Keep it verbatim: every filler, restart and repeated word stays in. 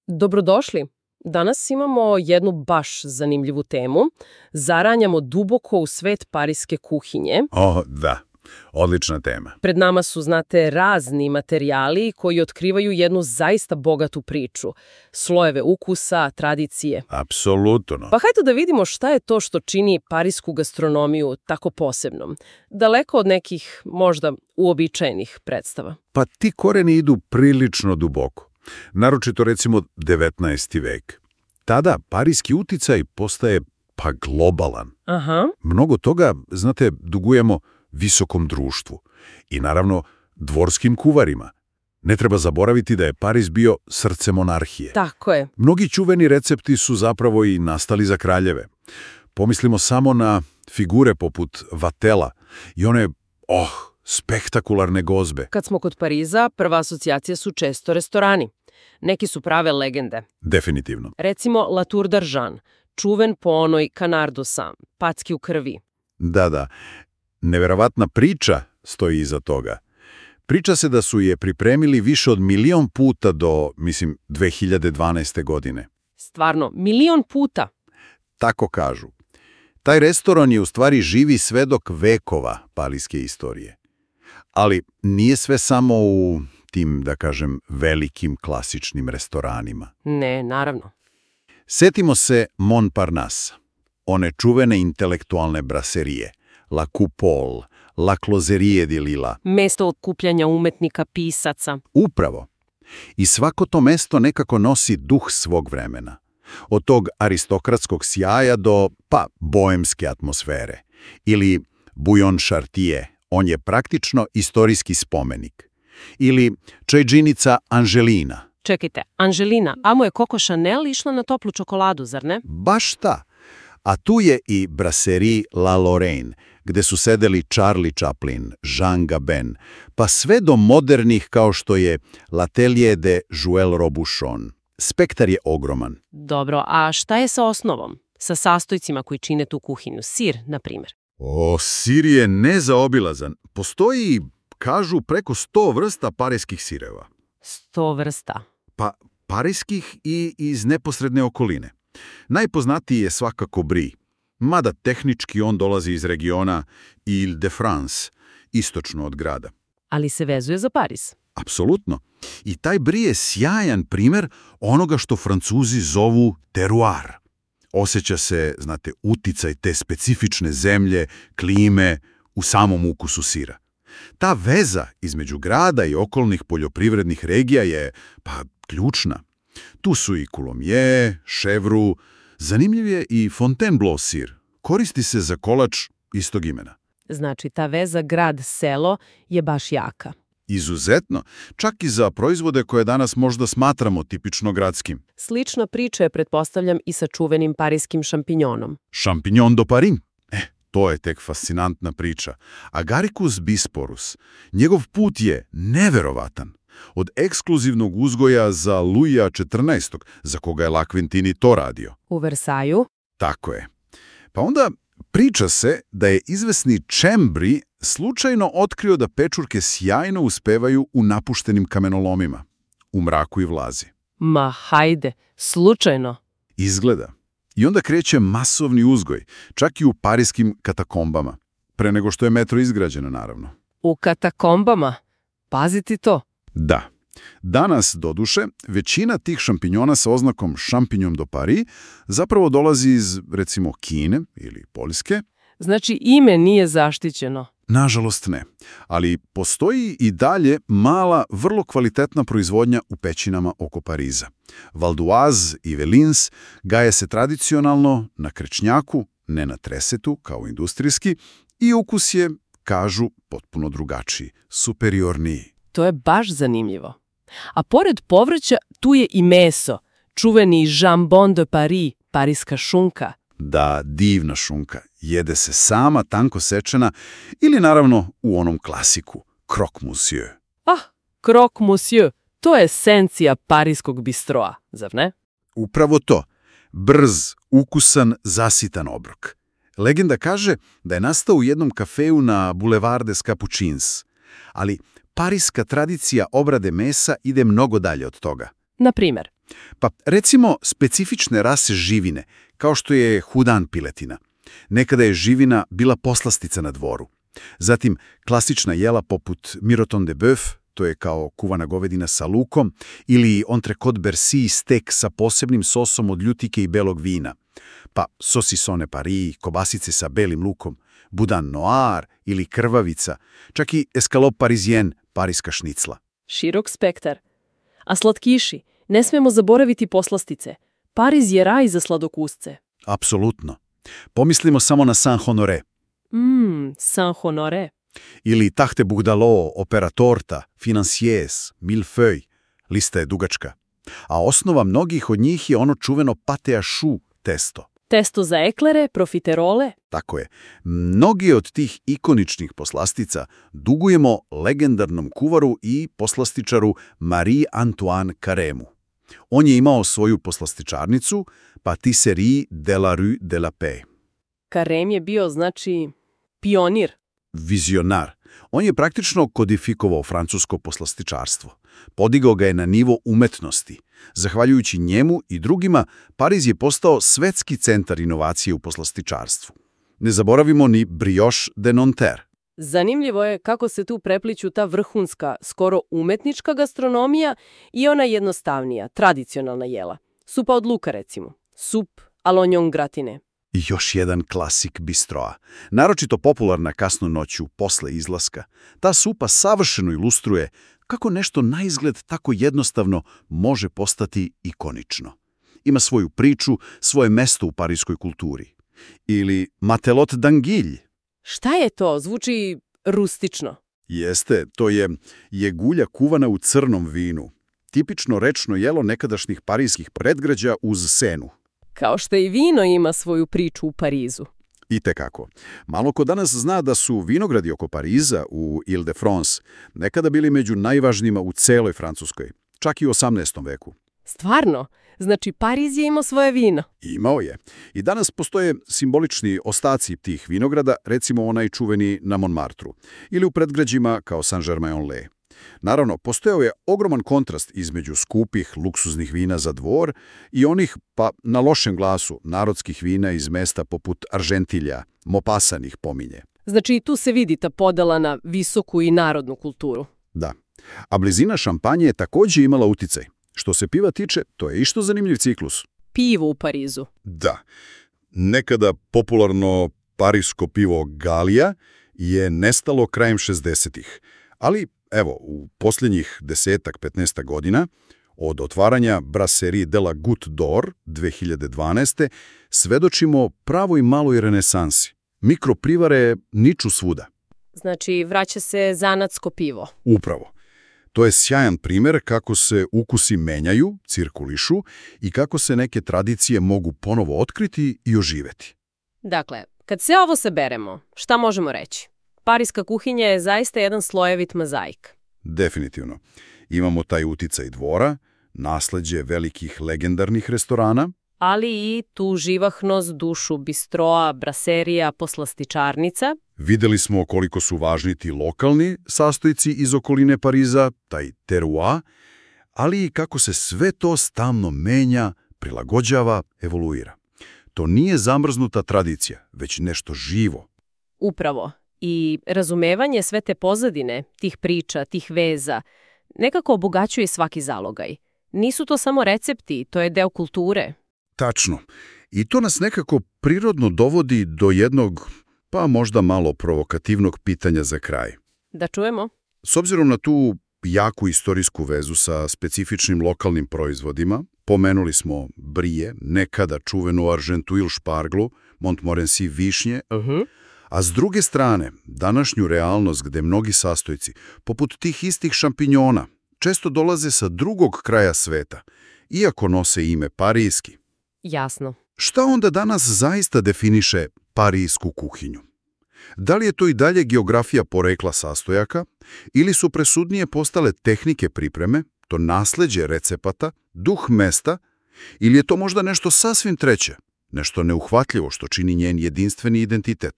Dobrodošli. Danas imamo jednu baš zanimljivu temu. Zaranjamo duboko u svet parijske kuhinje. O, da. Odlična tema. Pred nama su, znate, razni materijali koji otkrivaju jednu zaista bogatu priču. Slojeve ukusa, tradicije. Apsolutno. Pa hajde da vidimo šta je to što čini parijsku gastronomiju tako posebnom. Daleko od nekih, možda, uobičajenih predstava. Pa ti koreni idu prilično duboko. Naročito recimo devetnaesti vek. Tada parijski uticaj postaje pa globalan. Aha. Mnogo toga, znate, dugujemo visokom društvu i naravno dvorskim kuvarima. Ne treba zaboraviti da je Pariz bio srce monarhije. Tako je. Mnogi čuveni recepti su zapravo i nastali za kraljeve. Pomislimo samo na figure poput Vatela i one, oh, spektakularne gozbe. Kad smo kod Pariza, prva asocijacija su često restorani. Neki su prave legende. Definitivno. Recimo La Tour d'Argent, čuven po onoj canard du sang, packi u krvi. Da, da. Neverovatna priča stoji iza toga. Priča se da su je pripremili više od milion puta do, mislim, dve hiljade dvanaeste. godine. Stvarno, milion puta. Tako kažu. Taj restoran je u stvari živi svedok vekova parijske istorije. Ali nije sve samo u tim, da kažem, velikim klasičnim restoranima. Ne, naravno. Setimo se Montparnasse, one čuvene intelektualne braserije, La Coupole, La Closerie di Lila. Mesto okupljanja umetnika, pisaca. Upravo. I svako to mesto nekako nosi duh svog vremena. Od tog aristokratskog sjaja do, pa, boemske atmosfere. Ili Bouillon Chartier, on je praktično istorijski spomenik. Ili čajđinica Angelina. Čekajte, Angelina, amo je Coco Chanel išla na toplu čokoladu, zar ne? Baš ta. A tu je i Brasserie La Lorraine, gde su sedeli Charlie Chaplin, Jean Gabin, pa sve do modernih kao što je L'Atelier de Joël Robuchon. Spektar je ogroman. Dobro, a šta je sa osnovom? Sa sastojcima koji čine tu kuhinju? Sir, na primjer. O, sir je nezaobilazan. Postoji, kažu, preko sto vrsta parijskih sireva. Sto vrsta. Pa parijskih i iz neposredne okoline. Najpoznatiji je svakako Brie, mada tehnički on dolazi iz regiona Ile-de-France, istočno od grada. Ali se vezuje za Pariz. Apsolutno. I taj Brie je sjajan primjer onoga što Francuzi zovu terroir. Osjeća se, znate, uticaj te specifične zemlje, klime u samom ukusu sira. Ta veza između grada i okolnih poljoprivrednih regija je, pa, ključna. Tu su i Coulommiers, Chèvre, zanimljiv je i Fontainebleau sir. Koristi se za kolač istog imena. Znači, ta veza grad-selo je baš jaka. Izuzetno, čak i za proizvode koje danas možda smatramo tipično gradskim. Slična priča je, pretpostavljam, i sa čuvenim parijskim šampinjonom. Champignon de Paris. Eh, to je tek fascinantna priča. Agaricus bisporus, njegov put je neverovatan. Od ekskluzivnog uzgoja za Luija četrnaestog, za koga je La Quintini to radio. U Versailles? Tako je. Pa onda priča se da je izvesni Chambry slučajno otkrio da pečurke sjajno uspevaju u napuštenim kamenolomima, u mraku i vlazi. Ma hajde, slučajno. Izgleda. I onda kreće masovni uzgoj, čak i u parijskim katakombama, pre nego što je metro izgrađeno, naravno. U katakombama? Paziti to. Da. Danas, doduše, većina tih šampinjona sa oznakom Champignon de Paris zapravo dolazi iz, recimo, Kine ili Poljske. Znači, ime nije zaštićeno. Nažalost ne, ali postoji i dalje mala, vrlo kvalitetna proizvodnja u pećinama oko Pariza. Val d'Oise i Velins gaje se tradicionalno na krečnjaku, ne na tresetu kao industrijski, i ukus je, kažu, potpuno drugačiji, superiorniji. To je baš zanimljivo. A pored povrća, tu je i meso, čuveni jambon de Paris, parijska šunka. Da, divna šunka. Jede se sama, tanko sečena ili naravno u onom klasiku, croque monsieur. Ah, croque monsieur, to je esencija parijskog bistroa, zar ne? Upravo to. Brz, ukusan, zasitan obrok. Legenda kaže da je nastao u jednom kafeju na Boulevard des Capucines. Ali parijska tradicija obrade mesa ide mnogo dalje od toga. Na primjer? Pa recimo specifične rase živine, kao što je hudan piletina. Nekada je živina bila poslastica na dvoru. Zatim klasična jela poput miroton de bœuf, to je kao kuvana govedina sa lukom, ili entrecôte Bercy, stek sa posebnim sosom od ljutike i belog vina. Pa saucissone Paris, kobasice sa belim lukom, boudin noir ili krvavica, čak i escalope parisien, pariska šnicla. Širok spektar. A slatkiši? Ne smemo zaboraviti poslastice. Pariz je raj za sladokusce. Apsolutno. Pomislimo samo na Saint-Honoré. Mmm, Saint-Honoré. Ili tarte bourdalois, opera torta, financiers, millefeuille. Lista je dugačka. A osnova mnogih od njih je ono čuveno pâte à choux testo. Testo za eklere, profiterole. Tako je. Mnogi od tih ikoničnih poslastica dugujemo legendarnom kuvaru i poslastičaru Marie-Antoine Carême. On je imao svoju poslastičarnicu Patisserie de la Rue de la Paix. Carême je bio, znači, pionir. Vizionar. On je praktično kodifikovao francusko poslastičarstvo. Podigao ga je na nivo umetnosti. Zahvaljujući njemu i drugima, Pariz je postao svetski centar inovacije u poslastičarstvu. Ne zaboravimo ni brioche de Nanterre. Zanimljivo je kako se tu prepliću ta vrhunska, skoro umetnička gastronomija i ona jednostavnija, tradicionalna jela. Supa od luka, recimo. Sup à l'oignon gratiné. I još jedan klasik bistroa. Naročito popularna kasno noću, posle izlaska. Ta supa savršeno ilustruje kako nešto na izgled tako jednostavno može postati ikonično. Ima svoju priču, svoje mesto u parijskoj kulturi. Ili matelote d'anguille. Šta je to? Zvuči rustično. Jeste, to je jegulja kuvana u crnom vinu. Tipično rečno jelo nekadašnjih parijskih predgrađa uz Senu. Kao što i vino ima svoju priču u Parizu. Itekako. Malo ko danas zna da su vinogradi oko Pariza u Ile-de-France nekada bili među najvažnijima u celoj Francuskoj, čak i u osamnaestom veku. Stvarno? Znači Pariz je imao svoje vino? Imao je. I danas postoje simbolični ostaci tih vinograda, recimo onaj čuveni na Montmartru, ili u predgrađima kao Saint-Germain-en-Laye. Naravno, postojao je ogroman kontrast između skupih, luksuznih vina za dvor i onih, pa na lošem glasu, narodskih vina iz mesta poput Argentilja, Maupassant pominje. Znači i tu se vidi ta podela na visoku i narodnu kulturu. Da. A blizina Šampanje je također imala uticaj. Što se piva tiče, to je isto zanimljiv ciklus. Pivo u Parizu. Da. Nekada popularno parisko pivo Galija je nestalo krajem šezdesetih. Ali, evo, u posljednjih desetak, petnaestak godina, od otvaranja Brasserie de la Goutte d'Or dve hiljade dvanaeste. svedočimo pravoj maloj renesansi. Mikroprivare niču svuda. Znači, vraća se zanatsko pivo. Upravo. To je sjajan primjer kako se ukusi menjaju, cirkulišu i kako se neke tradicije mogu ponovo otkriti i oživeti. Dakle, kad sve ovo saberemo, šta možemo reći? Pariska kuhinja je zaista jedan slojevit mozaik. Definitivno. Imamo taj uticaj dvora, nasleđe velikih legendarnih restorana, ali i tu živahnost, dušu bistroa, braserija, poslastičarnica. Vidjeli smo koliko su važni ti lokalni sastojci iz okoline Pariza, taj terroir, ali i kako se sve to stalno menja, prilagođava, evoluira. To nije zamrznuta tradicija, već nešto živo. Upravo. I razumevanje sve te pozadine, tih priča, tih veza, nekako obogaćuje svaki zalogaj. Nisu to samo recepti, to je deo kulture. Tačno. I to nas nekako prirodno dovodi do jednog, pa možda malo provokativnog pitanja za kraj. Da čujemo. S obzirom na tu jaku istorijsku vezu sa specifičnim lokalnim proizvodima, pomenuli smo brije, nekada čuvenu argentuil šparglu, Montmorency višnje, Uh-huh. a s druge strane, današnju realnost gde mnogi sastojci, poput tih istih šampinjona, često dolaze sa drugog kraja sveta, iako nose ime parijski. Jasno. Šta onda danas zaista definiše parijsku kuhinju? Da li je to i dalje geografija porekla sastojaka ili su presudnije postale tehnike pripreme, to nasleđe recepata, duh mesta, ili je to možda nešto sasvim treće, nešto neuhvatljivo što čini njen jedinstveni identitet?